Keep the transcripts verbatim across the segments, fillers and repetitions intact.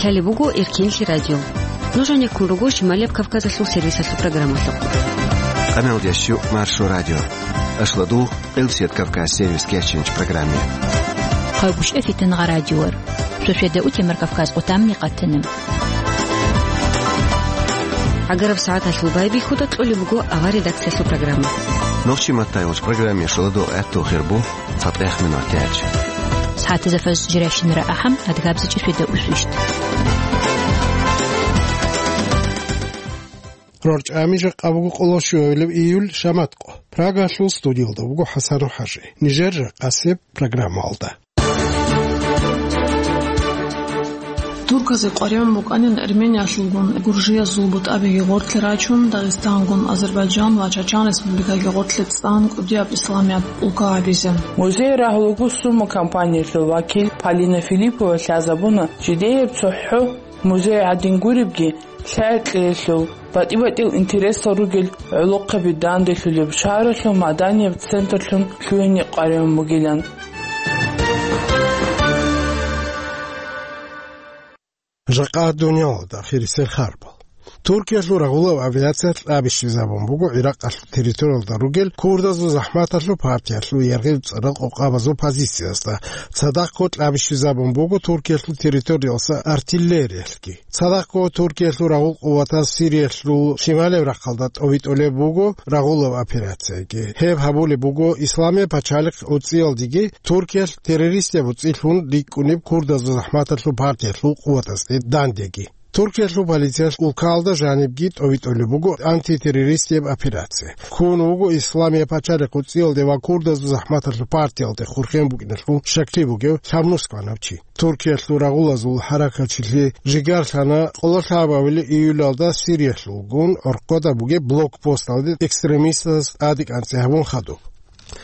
Гьале буго Эркинлъи радио. Нуж гьанеккун руго Шималияб Кавказалъул сервисалъул программалъухъ. Къамел ящу Маршо радио. Ашладу Элсет Кавказ сервис кечинч программе. Хъайгуш эфитан гъа радиор. Сосведа утемар Кавказ къутамни къатана. Агараб сагӀаталъул байбихьуда кьолеб буго авар редакциялъул программа. Нохчи маттайолч программе шуладо гӀатту хирбу. Фатех минутач. СагӀатазда фаз жирайщинара ахӀам, адгабзичӀи светда усвищт. РорчӀами жакъа буго къоло щуабилеб июль, шаматкъо. Прагалъул студиялда буго ХӀасан ХӀажи. Нижер жакъасеб программалда. Турказе къваригӀун букӀанин Эрмениялъулгун гуржиязул бутӀабиги гъорлъе рачун, Дагъистангун, Азербайджан ва Чачан республикаги гъорлъе цӀан кӀудияб исламияб улка гьабизе. Музей рагьулго Сума компаниялъул вакил Полина Филиппова лъазабуна, жидееб цохӀо музей гӀадин гуребги, лъай-кьеялъул, батӀи-батӀиял интересал ругел гӀолохъаби данделъулеб шагьаралъул маданияб центрлъун лъугьине къваригӀун бугилан. Жакъа дуниялалда ахирисел харбал. Туркиялъул рагъулаб авиация кьабищизабун буго Иракъалъул территориялда ругел курдазул захӀматалъул партиялъул яргъи-цӀарал къокъабазул позициязда. Цадахъго кьабищизабун буго Туркиялъул территориялъа артиллериялъги. Цадахъго Туркиялъул рагъул къуватаз Сириялъул шималияб рахъалда тӀовитӀулеб буго рагъулаб операцияги. Гьеб гьабулеб буго Исламияб пачалихъ гӀуцӀиялдеги Туркиялъ террористияб гӀуцӀилъун рикӀкӀунеб курдазул захӀматалъул партиялъул къуватазде дандеги. Туркиялъул полициялъ улкаялда жанибги тӀовитӀулеб буго антитеррористияб операция. Ккун вуго Исламияб пачалихъ гӀуцӀиялде ва курдазул захӀматалъул партиялде хурхен букӀиналъул щаклъи бугев лъабнусгӀанав чи. Туркиялъул рагъулазул хӀаракатчилъи жигарлъана къоло лъабабилеб июлалда Сириялъулгун гӀорхъода бугеб блокпосталде экстремистаз тӀаде кӀанцӀи гьабун хадуб.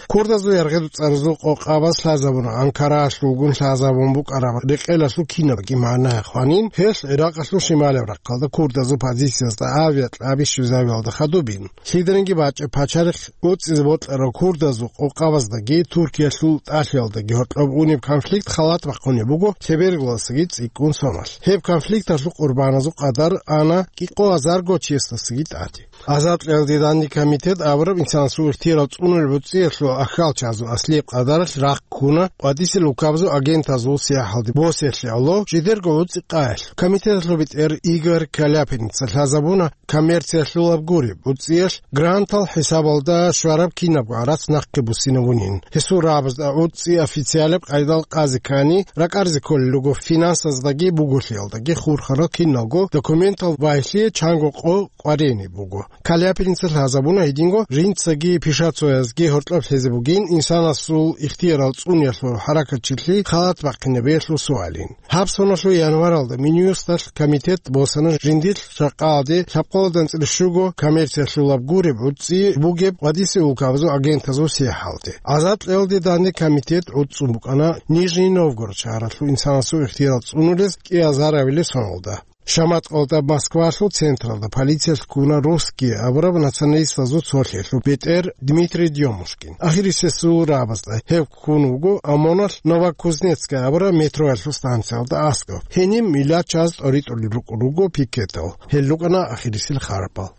Курдазул яргъи-цӀаразул къокъабаз лъазабуна Анкараялъулгун лъазабун букӀараб рекъелалъул кинабги магӀна хванин, гьелъ Иракъалъул шималияб рахъалда курдазул позициязда авиакьаби щвезавиялда хадубин. Лъиданиги бачӀеб пачалихъ гӀуцӀизе бокьарав курдазул къокъабаздаги Туркиялъул тӀалъиялдаги гьоркьоб унеб конфликт халат бахъунеб буго лъебергаласаги цӀикӀкӀун соналъ. Гьеб конфликталъул къурбаназул къадар ана кӀикъо гьазарго чиясдасаги тӀаде. Азад кьеялде данде комитет абураб инсанасул ихтияр цӀунулеб гӀуцӀиялъул ахьалчазул аслияб къадаралъ рахъ ккуна къватӀисел улкабазул агентазул сияхӀалде босиялъе гӀоло жидерго гӀуцӀи къаялъ. Комитеталъул бетӀер Игорь Каляпиница лъазабуна коммерциялъулаб гуреб гӀуцӀиялъ грантал хӀисабалда щвараб кинабго гӀарац нахъе буссинабунин. Гьесул рагӀабазда гӀуцӀи официалаб къайдал къазе ккани, ракӀарзе кколел руго финансаздаги буголъиялдаги хурхарал киналго документал вагьлъие чанго къо къваригӀине буго. Каляпиница лъазабуна гьединго жинцаги пишацоязги гьоркьоб лъезе бугин инсанасул ихтиярал цӀуниялъул хӀаракатчилъи халат бахъинабиялъул суалин. Гьаб соналъул январалда Минюсталъ комитет босана жиндилъ жакъаялде лъабкъоялда анцӀила щуго коммерциялъулаб гуреб гӀуцӀи бугеб къватӀисел улкабазул агентазул сияхӀалде. Азад кьеялде данде комитет гӀуцӀцӀун букӀана Нижний Новгород шагьаралъул инсанасул ихтиярал цӀунулез кӀиазарабилеб соналда. Шаматкъалда Москвалъул централда полициялъ ккуна Русские абураб националистазул цолъиялъул бетӀер Дмитрий Дёмушкин. Ахирисесул рагӀабазда гьев ккун вуго ОМОНалъ Новокузнецкая абураб метроялъул станциялда аскӀоб. Гьениб миллат чияз тӀоритӀулел рукӀун руго пикетал. Гьел рукӀана ахирисел харбал.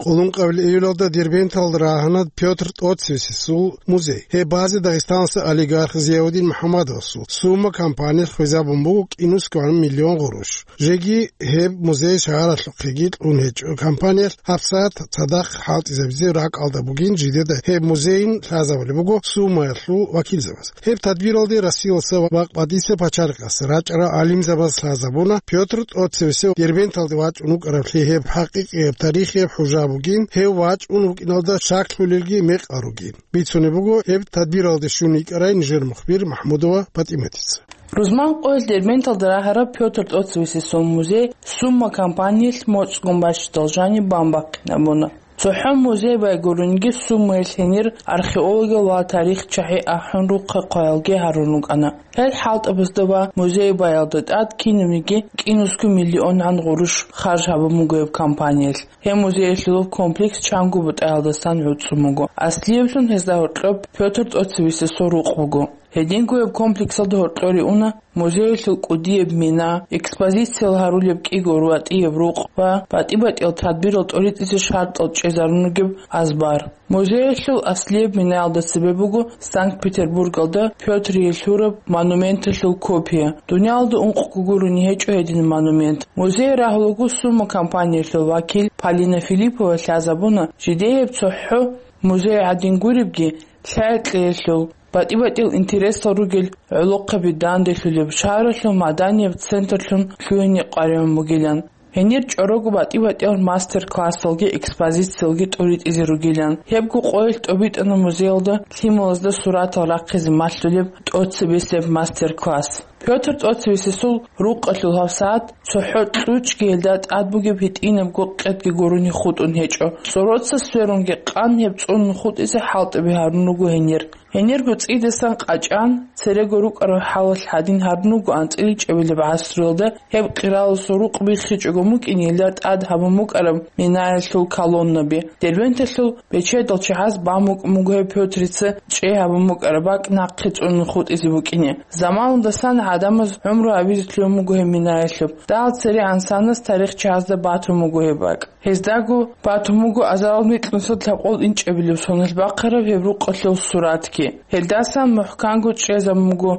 Къулункъабил июлалда Дербенталда рагьана Пётр тӀоцевесесул музей. Гьеб базе Дагъистаналъул олигарх Зияудин МухӀаммадовасул Сума компаниялъ хвезабун буго кӀинусгоан миллион гъурущ. Жеги гьеб музей шагьаралъухъеги кьун гьечӀо. Компаниялъ гьабсагӀат цадахъ хӀалтӀизабизе ракӀалда бугин жидеда гьеб музейин лъазабулеб буго Сумаялъул вакилзабаз. Гьеб тадбиралде Россиялъа ва къватӀиса пачалихъалъа рачӀарал гӀалимзабаз лъазабуна Пётр тӀоцевесев Дербенталде вачӀун вукӀараблъи гьеб хӀакъикъияб тарихияб хӀужа бугин, гьев вачӀун вукӀиналда щаклъулелги мекъал ругин. Бицунеб буго, гьеб тадбиралде щун йикӀарай нижер мухбир МахӀмудова ПатӀиматица. Рузман къоялъ Дербенталда рагьараб Пётр тӀоцевесесул музей Сума компаниялъ моцӀгун бачӀидал жаниб бан бахъинабуна. ЦохӀо музей бай гурониги суммаялъ гьенир археологиял ва тарихчагӀи ахӀун рухъа хъваялги гьарун рукӀана. Гьел хӀалтӀабазда ва музей баялда тӀад кинабниги кӀинусго миллионгӀан гъурущ харж гьабун буго гьеб компаниялъ. Гьеб музеялъулаб комплекс чанго бутӀаялдасан гӀуцӀун буго. Аслияблъун гьезда гьоркьоб Пётр ТӀоцевесесул рукъ буго. Гьединго гьеб комплексалда гьоркьоре уна музеялъул кӀудияб мина, экспозициял гьарулеб кӀиго ратӀияб рукъ ва батӀи-батӀиял тадбирал тӀоритӀизе шартӀал чӀезарун ругеб азбар. Музеялъул аслияб минаялда цебе буго Санкт-Петербургалда Пётрие лъураб монументалъул копия. Дуниялалда ункъго гурони гьечӀо гьединаб монумент. Музей рагьулаго сумма компаниялъул вакил Полина Филиппова лъазабуна, жидее гьеб цохӀо музей гӀадин гуребги, лъай-кьеялъул, батӀи-батӀиял интересал ругел гӀолохъаби данделъулеб шагьаралъул маданияб центрлъун лъугьине къваригӀун бугилан. Гьенир чӀорого батӀи-батӀиял мастер-классалги экспозициялги тӀоритӀизе ругилан. Гьебго къоялъ тӀобитӀана музеялда лъималазда суратал рахъизе малъулеб тӀоцебесеб мастер-класс. Пётр ТӀоцевесесул рукъалъул гьабсагӀат цохӀо кьучӀги гьелда тӀад бугеб гьитӀинабго къетги гурони хутӀун гьечӀо. ЦӀороца сверунги къан гьеб цӀунун хутӀизе хӀалтӀаби гьарун руго гьенир. Гьенирго цӀидасан къачӀан, церего рукӀарал хӀалалъ гьадин гьарун руго анцӀила чӀебилеб гӀасруялда гьеб къираласул рукъ биххичӀого букӀине гьелда тӀад гьабун букӀараб минаялъул колоннаби. Дербенталъул бечедал чагӀаз бан букӀун буго гьеб Пётрица чӀей гьабун букӀараб бакӀ нахъе цӀунун хутӀизе букӀине. Заманалдасан гӀадамаз гӀумру гьабизе лъугьун буго гьеб минаялъуб. Дагьал цере гӀансанас тарихчагӀазда батун буго гьеб бакӀ. Гьездаго батун буго азарал микьнусиялда лъабкъоялда инчӀебилеб соналъ бахъараб гьеб рукъалъул суратги. Гьелдасан мухӀканго чӀезабун буго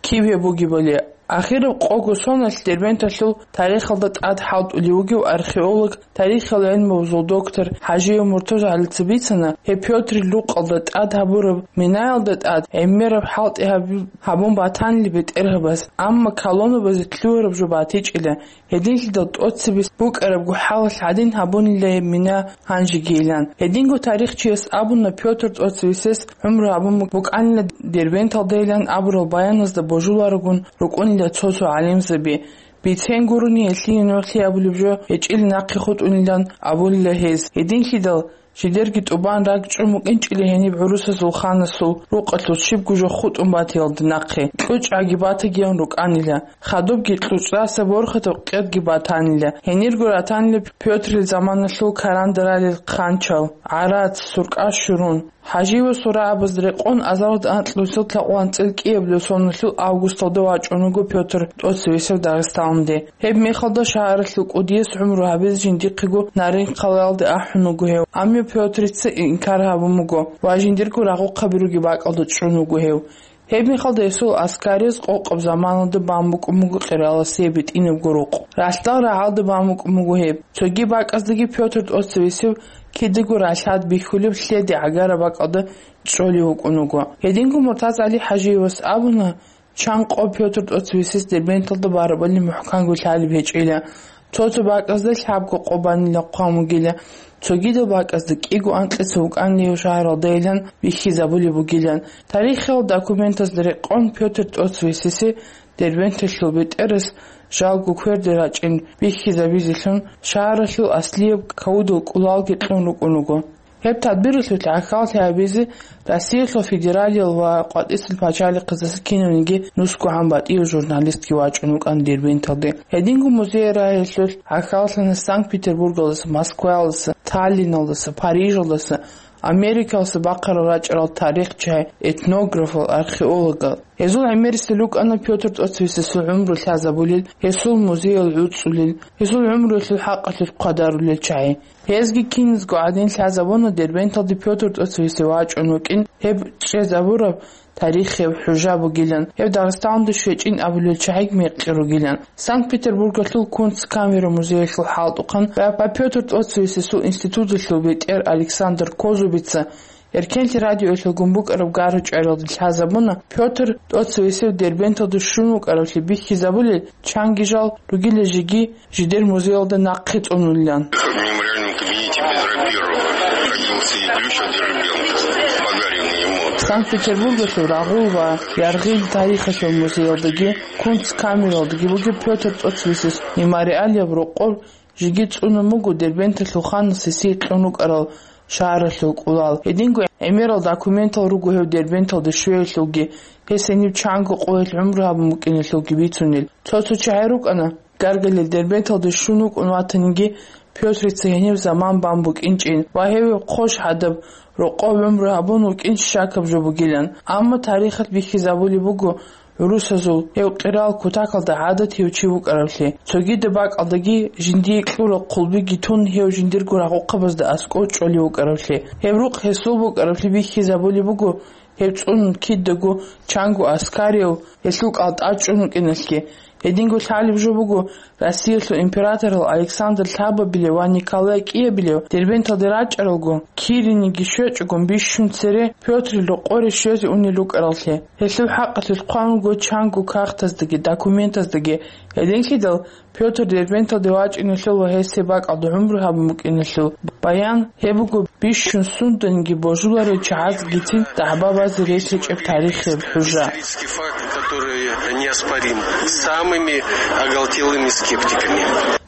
киб гьеб бугебали. Ахираб къого соналъ Дербенталъул тарихалда тӀад хӀалтӀулев вугев археолог, тарихиял гӀелмуялъул доктор ХӀажиев МуртазагӀалица бицана, гьеб Пётрил рукъалда тӀад гьабураб минаялда тӀад гӀемераб хӀалтӀи гьаб-, гьабун батанила бетӀергьабаз, амма колоннабазе лъугьараб жо батичӀила. Гьединлъидал тӀоцебесеб букӀарабго хӀалалъ гьадин гьабунила гьеб мина гьанжегийилан. Гьединго тарихчияс абуна, Пётр ТӀоцевесес гӀумру гьабун букӀанила Дербенталдайилан абурал баяназда божуларогун рукӀунила цо-цо гӀалимзаби. Бицен гурони, гьелъие нугӀлъи абулеб жо гьечӀил нахъе хутӀунилан абулила гьез. Гьединлъидал жидерги тӀубан ракӀчӀун букӀинчӀила гьениб гӀурусазул ханасул рукъалъул щибго жо хутӀун батиялда нахъе, кьучӀгӀаги батагиян рукӀанила. Хадубги кьучӀдаса борхатаб къедги батанила. Гьенирго ратанила Пётрил заманалъул карандаралил хъанчал, гӀарац, суркъа щурун. ХӀажиевасул рагӀабазда рекъон азаралда анкьнусиялда лъабкъоялда анцӀила кӀиабилеб соналъул августалда вачӀун вуго Пётр ТӀоцевесев Дагъистаналде. Гьеб мехалда шагьаралъул кӀудияс гӀумру гьабизе жиндихъего Нарин-хъалаялде ахӀун вуго гьев, амма Пётрица инкар гьабун буго ва жиндирго рагъухъаби ругеб бакӀалда чӀун вуго гьев. Гьеб мехалда гьесул аскарияз къокъаб заманалда бан букӀун буго къираласе битӀинабго рукъ. Ралъдал рагӀалда бан букӀун буго гьеб. Цоги бакӀаздаги Пётр ТӀоцевесев кидаго ралъад бихьулеб лъеде гӀагараб бакӀалда чӀолев вукӀун вуго. Гьединго МуртазагӀали ХӀажиевас абуна, чан къо Пётр ТӀоцевесес Дербенталда барабали мухӀканго лъалеб гьечӀила. Цо-цо бакӀазда лъабго къо банила хъван вугила, цогидал бакӀазда кӀиго анкьица вукӀанила гьев шагьаралдайилан бихьизабулеб бугилан. Тарихиял документазда рекъон Пётр ТӀоцевесесе Дербенталъул бетӀерас жалго кверде рачӀин бихьизабизелъун шагьаралъул аслияб кавудал кӀулалги кьун рукӀун вуго. Гьеб тадбиралъулъ гӀахьаллъи гьабизе Россиялъул федералиял ва къватӀисел пачалихъаздаса кинавниги нусгогӀан батӀияв журналистги вачӀун вукӀана Дербенталде. Гьединго музей рагьиялъулъ гӀахьаллъана Санкт-Петербургалдаса, Москваялдаса, Таллиналдаса, Парижалдаса, Америкалдаса бахъарал рачӀарал тарихчагӀи, этнографал, археологал. Гьезул гӀемерисел рукӀана Пётр ТӀоцевесесул гӀумру лъазабулел, гьесул музеял гӀуцӀулел, гьесул гӀумруялъул хӀакъалъулъ хъвадарулел чагӀи. Гьезги киназго гӀадин лъазабуна Дербенталде Пётр ТӀоцевесев вачӀун вукӀин гьеб чӀезабураб тарихияб хӀужа бугилан, гьеб Дагъистаналде щвечӀин абулел чагӀиги мекъи ругилан. Санкт-Петербургалъул Кунсткамера музеялъул хӀалтӀухъан ва Пётр ТӀоцевесесул институталъул бетӀер Александр Козубица Эркенлъи радиоялъулгун букӀараб гара-чӀвариялда лъазабуна, Пётр ТӀоцевесев Дербенталде щун вукӀаравлъи бихьизабулел, чанги жал ругила жеги жидер музеялда нахъе цӀунулилан. В мемориальном кабинете Петра Первого родился Илюша Дербент, подаренный ему. Санкт-Петербургалъул рагъул ва яргъил тарихалъул музеялдаги, Кунсткамералдаги бугеб Пётр ТӀоцевесес мемориалияб рокъор жеги цӀунун буго Дербенталъул ханас гьесие кьун рукӀарал шагьаралъул кӀулал. Гьединго гӀемерал документал руго гьев Дербенталде щвеялъулги, гьес гьениб чанго къоялъ гӀумру гьабун букӀиналъулги бицунел. Цо-цо чагӀи рукӀана гаргалел Дербенталде щун вукӀун ватаниги, Пётрица гьениб заман бан букӀинчӀин ва гьев гьеб хъощ гьадаб рокъов гӀумру гьабун вукӀин щакаб жо бугилан. Амма тарихалъ бихьизабулеб буго гӀурусазул гьев къирал кутакалда гӀадат гьев чи вукӀаравлъи. Цогидаб бакӀалдаги жиндие кьурал хъулбиги тун, гьев жиндирго рагъухъабазда аскӀов чӀолев вукӀаравлъи. Гьеб рукъ гьесул букӀаравлъи бихьизабулеб буго, гьеб цӀун кидаго чанго аскарияв гьелъул кӀалтӀа чӀун вукӀиналъги. Гьединго лъалеб жо буго, Россиялъул императорал Александр лъабабилев ва Николай кӀиябилев Дербенталде рачӀаралго, кириниги щвечӀого бищун цере Пётрил рокъоре щвезе унел рукӀараллъи. Гьелъул хӀакъалъулъ хъван вуго чанго кагътаздаги документаздаги. Гьединлъидал Пётр Дербенталде вачӀиналъул ва гьес гьеб бакӀалда гӀумру гьабун букӀиналъул баян гьеб буго бищун сунданиги божуларел чагӀазгицин дагӀба базе рес гьечӀеб тарихияб хӀужа. Исторический факт, который неоспорим самыми оголтелыми скептиками.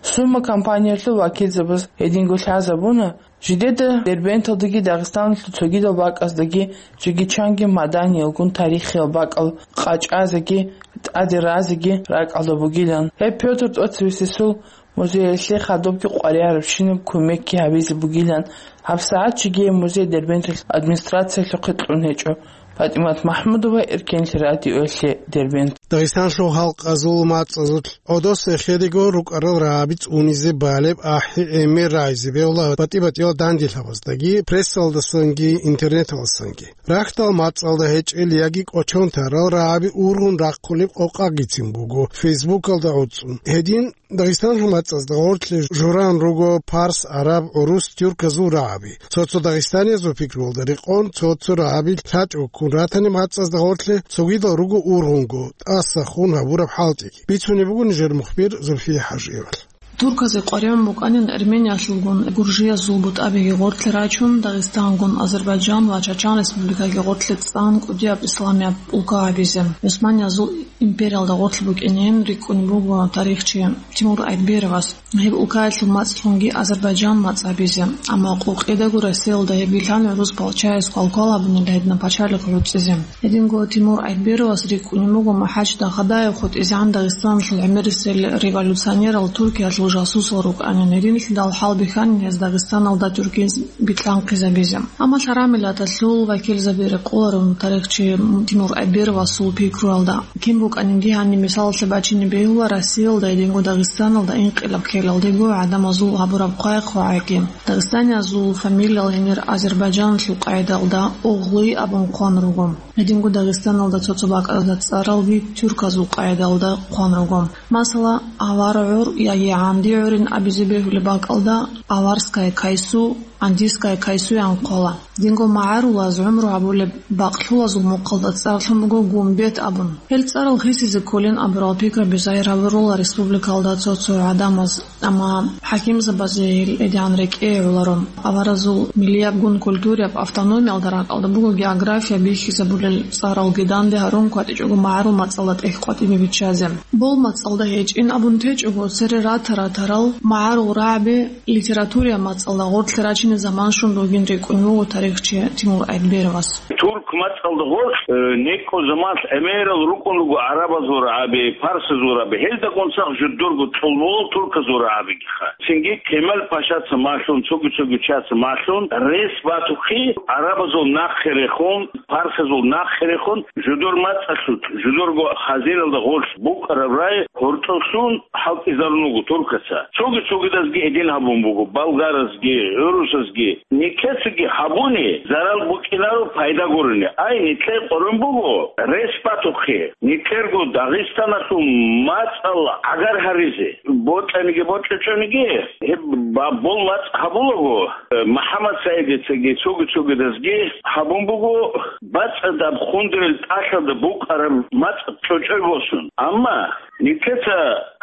Сума компаниялъул вакилзабаз гьединго лъазабуна, жидеда Дербенталдаги Дагъистаналъул цогидал бакӀаздаги жеги чанги маданиялгун тарихиял бакӀал къачӀазеги тӀаде разеги ракӀалда бугилан. Гьеб Пётр ТӀоцевесесул музеялъе хадубги къваригӀарабщинаб кумекги гьабизе бугилан. ГьабсагӀат жеги гьеб музей Дербенталъ администрациялъухъе кьун гьечӀо. ПатӀимат МахӀмудова, Эркенлъи радиоялъе, Дербент. Дагъистанлъул халкъазул мацӀазул гӀодос эхедего рукӀарал рагӀаби цӀунизе балеб ахӀи-гӀемер рагӀизе бегьула батӀи-батӀиял данделъабаздаги, прессалдасанги интернеталдасанги. Рахьдал мацӀалда гьечӀел яги кӀочон тарал рагӀаби ургъун рахъулеб къокъагицин буго Фейсбукалда гӀуцӀун. Гьедин Дагъистанлъул мацӀазда гъорлъе журан руго парс, араб, гӀурус, тюрказул рагӀаби. Цо-цо дагъистаниязул пикруялда рекъон, цо-цо рагӀаби лъачӀого ккун ратани мацӀазда гъорлъе цогидал руго ургъунго, тӀаса хун гьабураб хӀалтӀиги. Бицунеб буго нижер мухбир Зульфия ХӀажиевал. Турказе къваригӀун букӀанин Армениялъулгун, гуржиязул бутӀабиги гъорлъе рачун, Дагъистангун, Азербайджан ва Чачан республикаги гъорлъе цӀан кӀудияб исламияб улка гьабизе. ГӀусманиязул империялда гъорлъ букӀинин рикӀкӀунеб буго тарихчи Тимур Айтберовас гьеб улкаялъул мацӀлъунги Азербайджан мацӀ гьабизе, амма къокъидаго Россиялда гьеб билан гӀурус палчаяс квалквал гьабунел гьедина пачалихъ гӀуцӀизе. Гьединго Тимур Айтберовас рикӀкӀунеб буго МахӀач Дахадаев хутӀизегӀан Дагъистаналъул гӀемерисел революционерал Туркиялъул жасусал рукӀанин, гьединлъидал хӀалбихьанин гьез Дагъистаналда тюркиз битлъанхъизабизе. Амма лъарамилаталъул вакилзаби рекъоларун тарихчи Тимур Айтберовасул пикруялда. Кин букӀанинги гьаниб мисалалъе бачине бегьула Россиялда гьединго Дагъистаналда инкъилаб ккелалдего гӀадамазул гьабураб хъвай-хъвагӀайги. Дагъистаниязул фамилиял гьенир Азербайджаналъул къайдалда Оглы абун хъван руго. Гьединго Дагъистаналда цо-цо бакӀалда цӀаралги тюрказул къайдалда хъван руго. Масала, авар гӀур яги гӀанди гӀурин абизе бегьулеб бакӀалда Аварская Кайсу, Андийская Кайсу ян хъвала. Динго магӀарулаз гӀумру гьабулеб бакълъулазул мухъалда цӀарлъун буго Гумбет абун. Гьел цӀарал хисизе кколин абурал пикраби загьир гьабурула республикалда цо-цо гӀадамаз, амма хӀакимзабазе гьел гьедигӀан рекӀее гӀоларо. Аваразул миллиябгун культурияб автономиялда ракӀалда буго география бихьизабулел цӀаралги данде гьарун кватӀичӀого магӀарул мацӀалда тӀехь къватӀибе биччазе. Бол мацӀалда гьечӀин абун течӀого, цере рата-ратарал магӀарул рагӀаби литературия мацӀалда гъорлъе рачине заман щун ругин рикӀкӀун вуго тарихчи Тимур Айтберовас. Турк мацӀалда гъорлъ, э, некӀо заман гӀемерал рукӀун руго гӀарабазул рагӀаби, парсазул рагӀаби, гьелдагун цадахъ жудурго цӀолболал турказул рагӀабигиха. Цинги Кемал Пашаца малъун, цоги-цоги чияца малъун, рес батухъе, гӀарабазул нахъе рехун, парсазул нахъе рехун, жудур мацӀалъулъ, жудурго хазиналда гъорлъ букӀараб рагӀи гьоркьоблъун хӀалтӀизарун вуго туркаца. Цоги-цогидазги гьедин гьабун буго, болгаразги, гӀурусазги. Нилъецаги гьабуни зарал букӀинаро, пайда гурони. Ай, нилъее къорун буго, рес батухъе, нилъерго Дагъистаналъул мацӀал гӀагар гьаризе, бокьаниги бокьичӀониги, гьеб ба-, бол мацӀ гьабулаго, э, МухӀаммадсагӀидицаги цоги-цогидазги гьабун буго, бацӀцӀадаб хундурел тӀалъалда букӀараб мацӀ чӀочӀой босун. Амма нилъеца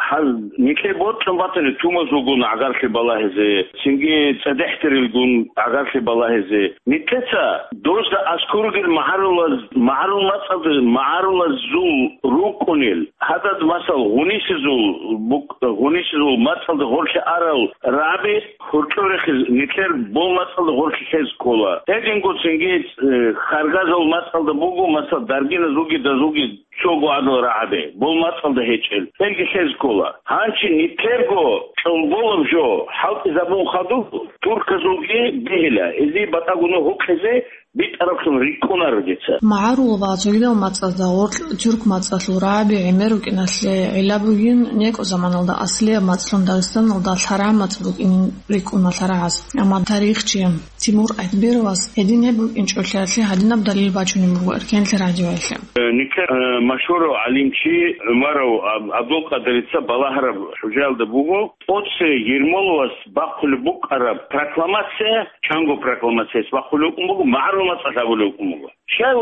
гьаз-, нилъее бокьун Батани тумазулгун гӀагарлъи балагьизе, цинги цӀедехӀдерилгун гӀагарлъи балагьизе. Нилъеца дозда аскӀор ругел магӀарулаз-, магӀарул мацӀалда, магӀарулазул рукӀунел, гьадад, масал, гъунисезул букӀ-, гъунисезул мацӀалда гъорлъе арал рагӀаби гьоркьор рехиз, нилъер бол мацӀалда гъорлъе лъез ккола. Гьединго цинги, э, харгазул мацӀалда буго, масал, даргиназулги дазулги цого гӀадал рагӀаби, бол мацӀалда гьечӀел, гьелги лъез ккола. Гьанчи нилъерго чӀолболаб жо хӀалтӀизабун хадуб, турказулги бегьила, гьезие батӀа-гуна гьукъизе битӀараблъун рикӀкӀунаро дица. МагӀарул ва цогидал мацӀазда гъоркь тюрк мацӀалъул рагӀаби гӀемер рукӀиналъе гӀилла бугин, некӀо заманалда аслияб мацӀлъун Дагъистаналда лъарагӀ мацӀ букӀинин рикӀкӀуна лъарагӀаз. Амма тарихчи Тимур Айтбировас гьедин гьеб букӀинчӀолъиялъе гьадинаб далил бачунеб буго Эркенлъи радиоялъе. Э, нилъер, э, машгьурав гӀалимчи ГӀумаров Аб-, Абдулкъадирица балагьараб хӀужаялда буго, тӀоце Ермоловас бахъулеб букӀараб прокламация, чанго прокламацияс бахъулеб букӀун буго, магӀарул мацӀалъ гьабулеб букӀун буго. Щай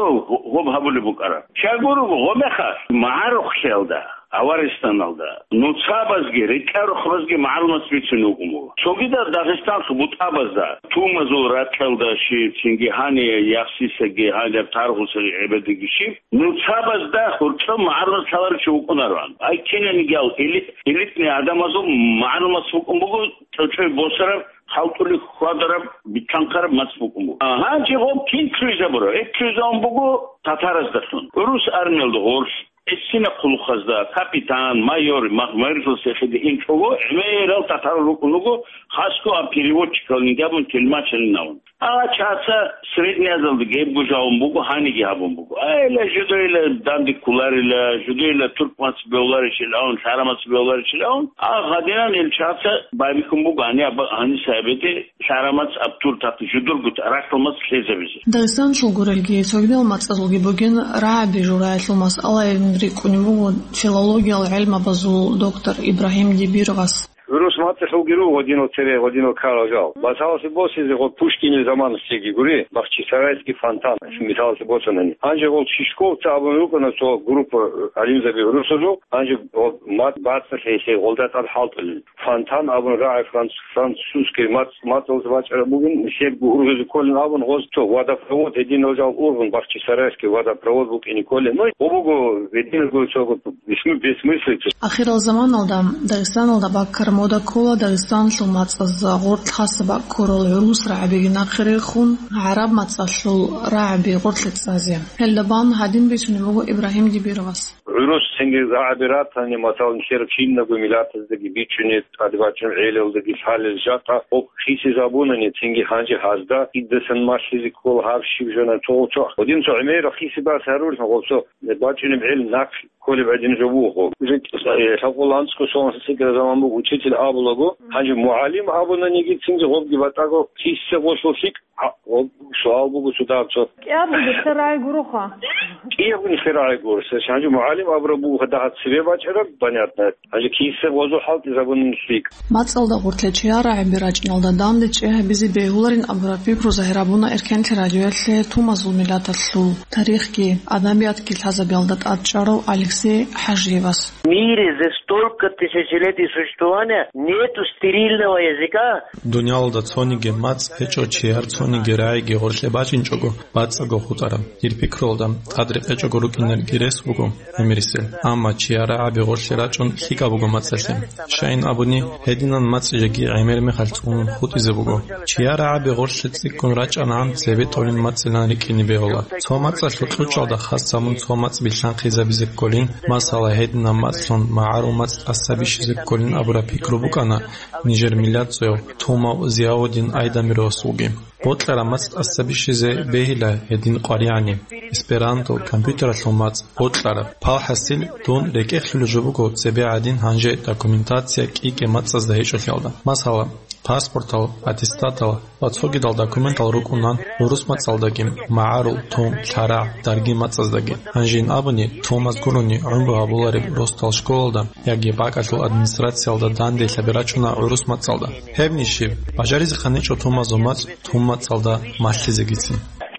гьоб гьабулеб букӀараб? Щай гурого, гъомехалъ магӀарухълъиялда, Аваристаналда, нуцабазги, рекӀарухъабазги магӀарул мацӀ бицунеб букӀун буго. Цогидал Дагъистаналъул бутӀабазда, тумазул ракьалда щиб, цинги гьаниб Яхсисаги, гьаниб Таргъусаги гӀебедиги щиб, нуцабазда гьоркьоб магӀарул мацӀ лъаларев чи вукӀунароан. Ай кинаниги ал эли-, элитный гӀадамазул магӀарул мацӀ букӀун буго, чӀочӀой босараб, хӀалтӀулеб хьвадараб, битлъанхъараб мацӀ букӀун буго. Гьанже гъоб кин лъугӀизабураб? Гьеб лъугӀизабун буго татараздалъун. ГӀурус армиялда гъорлъ, гӀисина хъулухъазда, капитан, майор, мах-, майоралъ эхеде инчӀого, гӀемерал татарал рукӀун руго, хасго а переводчикал инги абун, телмачалин абун. А чаца Средняя Азиялда гьебго жавун буго, гьаниги гьабун буго. Айла, жидейла данде кколарила, жидейла турк мацӀ бевларищилан, лъара мацӀ бевларищилан, а гьадинан ил чаца байбихьун буго, гьани аба-, гьаниса абеде лъара мацӀ абтур тахъи жидерго рахьул мацӀ лъезабизе. Дагъистан чолгорелги, цогидал мацӀазулги бугин рагӀаби жураялъул масъалаялъ рикӀкӀунеб буго филологиял гӀелмабазул доктор Ибрагьим Дибировас. ГӀурус мацӀалъулги руго гьединал цере, гьединал ккарал жал. Масаласе босизе гъо Пушкинил заманалъеги гури, Бахчисарайский фонтан, мисаласе босанани. Гьанже гъол Чишковцы абун рукӀана цо группа гӀалимзаби гӀурусазул, гьанже гъо ма-, бацӀцӀалъи гьелъе гъолда тӀад хӀалтӀулел. Фонтан абун рагӀи франц-, французский мац-, мацӀалда бачӀараб бугин, нилъерго ургъизе кколин абун гъоз цо водопровод, гьединал жал ургъун, Бахчисарайский водопровод букӀине кколин. Ну, гъо буго гьединго цо бесмы-, бессмыслица. Ахирал заманалда Дагъистаналда баккараб мода ккола Дагъистаналъул мацӀаз гъоркь хасаб баккарал гӀурус рагӀабиги нахъе рехун, гӀараб мацӀалъул рагӀаби гъоркье цӀазе. Гьелда бан гьадин бицунеб буго Ибрагьим Дибировас. ГӀурус цинги рагӀаби ратани, масалан, нилъер кинабго миллатаздаги бичӀчӀунеб, тӀадбачӀунеб гӀелалдаги лъалел жакъа гъоб хисизабунани, цинги гьанже гьазда кидасан малъизе ккола гьаб щиб жана цо-, цо-, гьедин цо гӀемерал хисибас гьарулел гъоб цо бачӀунеб гӀел нахъ кколеб гӀадин жо буго. Уже, э, лъабкъоялда анцӀго соналъ цӀикӀкӀараб заман буго, учитель абулаго, гьанже мугӀалим абунаниги цинги гъобги батӀаго киссе гъолъул лъикӀ, гьа, гъоб суал буго цо дагьаб цо. КӀиябго нилъер рагӀи гуроха. КӀиябго нилъер рагӀи гуро. Гьанже мугӀалим абураб буго дагьаб цебе бачӀараб, понятно. Гьанже киссе гъозул хӀалтӀизабунин лъикӀ. МацӀалда гъоркье чияр рагӀаби рачӀиналда данде чӀей гьабизе бегьуларин абураб пикру загьир гьабуна Эркенлъи радиоялъе тумазул миллаталъул тарихги, адабиятги лъазабиялда тӀад чӀарав Алексей ХӀажиевас. В мире за столько тысячелетий существования нету стерильного языка. Дуниялалда цониги мацӀ гьечӀо чияр цониги рагӀиги гъоркье бачӀинчӀого бацӀцӀаго хутӀараб. Дир пикруялда, тӀад рекъечӀого рукӀинарги рес буго гӀемерисел. Амма чияр рагӀаби гъоркье рачӀун лъикӀаб буго мацӀалъе. Щайин абуни, гьединан мацӀ жеги гӀемер мехалъ цӀунун хутӀизе буго. Чияр рагӀаби гъоркье цӀикӀкӀун рачӀанагӀан цебетӀолин мацӀилан рикӀкӀине бегьула. Цо мацӀалъул кьучӀалда хас гьабун цо мацӀ билълъанхъизабизе кколин, масала, гьединаб мацӀлъун магӀарул мацӀ тӀаса бищизе кколин абураб пикру букӀана нижер миллатзаяв Тумав Зияудин Айдамировасулги. Бокьараб мацӀ тӀаса бищизе бегьила гьедин къваригӀани, эсперанто, компьютералъул мацӀ бокьараб. Палхасил, дун рекӀехъ лъулеб жо буго цебе гӀадин гьанже документация кӀи-кӀи мацӀазда гьечӀолъиялда. Масала, паспортал, аттестатал ва цогидал документал рукӀунан гӀурус мацӀалдаги, магӀарул, тун, лъарагӀ, дарги мацӀаздаги. Гьанжин абуни, тумаз гурони гӀумру гьабулареб росдал школалда яги бакӀалъул администрациялда данделъаби рачӀуна гӀурус мацӀалда. Гьебни щиб, бажаризехъан гьечӀо тумазул мацӀ тун мацӀалда малъизегицин.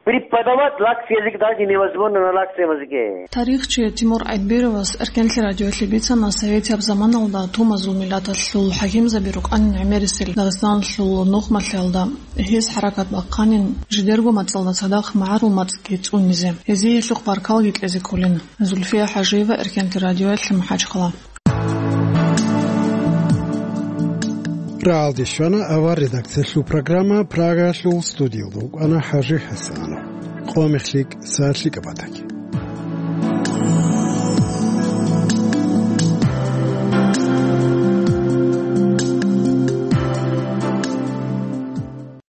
Преподавать лакс язык даже невозможно на лаксовом языке. Тарихчи Тимур Айдбировас Эркенлъи радиоялъе бицана советияб заманалда тумазул миллаталъул хӀакимзаби рукӀанин гӀемерисел Дагъистаналъул нухмалъиялда. Гьез хӀаракат бахъанин жидерго мацӀалда цадахъ магӀарул мацӀги цӀунизе, гьезие гьелъухъ баркалги кьезе кколин. Зульфия ХӀажиева, Эркенлъи радиоялъе, МахӀачхъала. РагӀалде щвана авар редакциялъул программа, Прагаялъул студиялда вукӀана ХӀажи ХӀасанов. Къо мехлъи, сагӀатлъи кӀабатаги.